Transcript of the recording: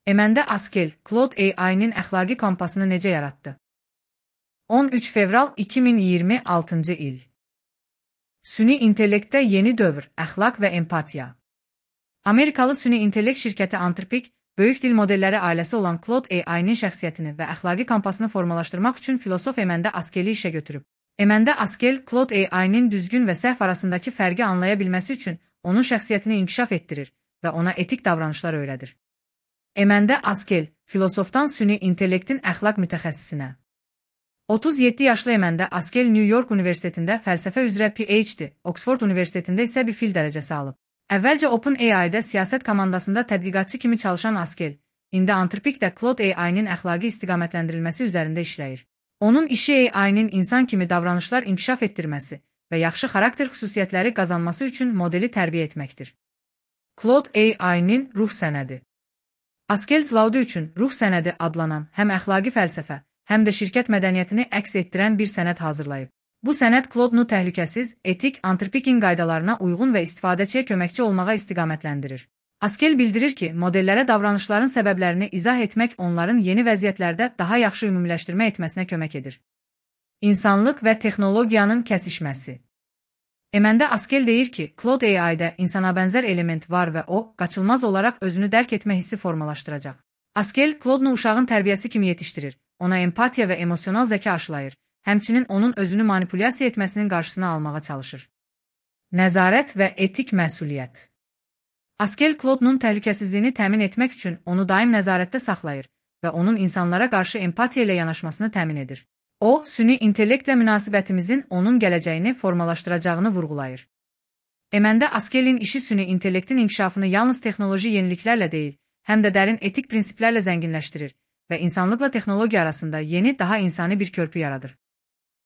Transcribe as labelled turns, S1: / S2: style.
S1: Emende Askel, Claude AI-nin əxlaqi kompasını necə yaratdı? 13 fevral 2026 il. Süni intellektdə yeni dövr, əxlaq və empatiya. Amerikalı süni intellekt şirkəti Anthropic, böyük dil modelləri ailəsi olan Claude AI-nin şəxsiyyətini və əxlaqi kompasını formalaşdırmaq üçün filosof Emende Askel'i işə götürüb. Emende Askel, Claude AI-nin düzgün və səhv arasındakı fərqi anlaya bilməsi üçün onun şəxsiyyətini inkişaf etdirir və ona etik davranışlar öyrədir. Emende Askel, filosofdan süni intellektin əxlaq mütəxəssisinə. 37 yaşlı Emende Askel New York Universitetində fəlsəfə üzrə PhD, Oxford Universitetində isə bir fil dərəcəsi alıb. Əvvəlcə OpenAI-də siyasət komandasında tədqiqatçı kimi çalışan Askel, indi Anthropicdə Claude AI-nin əxlaqi istiqamətləndirilməsi üzərində işləyir. Onun işi AI-nin insan kimi davranışlar inkişaf etdirməsi və yaxşı xarakter xüsusiyyətləri qazanması üçün modeli tərbiyə etməkdir. Claude AI-nin ruh sənədi. Askel Claude üçün ruh sənədi adlanan həm əxlaqi fəlsəfə, həm də şirkət mədəniyyətini əks etdirən bir sənəd hazırlayıb. Bu sənəd Claude-nu təhlükəsiz, etik, Anthropic'in qaydalarına uyğun və istifadəçiyə köməkçi olmağa istiqamətləndirir. Askel bildirir ki, modellərə davranışların səbəblərini izah etmək onların yeni vəziyyətlərdə daha yaxşı ümumiləşdirmə etməsinə kömək edir. İnsanlıq və texnologiyanın kəsişməsi. Emende Askel deyir ki, Claude AI-də insana bənzər element var və o, qaçılmaz olaraq özünü dərk etmə hissi formalaşdıracaq. Askel, Claude-nu uşağın tərbiyəsi kimi yetişdirir, ona empatiya və emosional zəka aşılayır, həmçinin onun özünü manipulyasiya etməsinin qarşısını almağa çalışır. Nəzarət və etik məsuliyyət. Askel Claude-nun təhlükəsizliyini təmin etmək üçün onu daim nəzarətdə saxlayır və onun insanlara qarşı empatiya ilə yanaşmasını təmin edir. O, süni intellektlə münasibətimizin onun gələcəyini formalaşdıracağını vurğulayır. Emende Askel'in işi süni intellektin inkişafını yalnız texnoloji yeniliklərlə deyil, həm də dərin etik prinsiplərlə zənginləşdirir və insanlıqla texnologiya arasında yeni, daha insani bir körpü yaradır.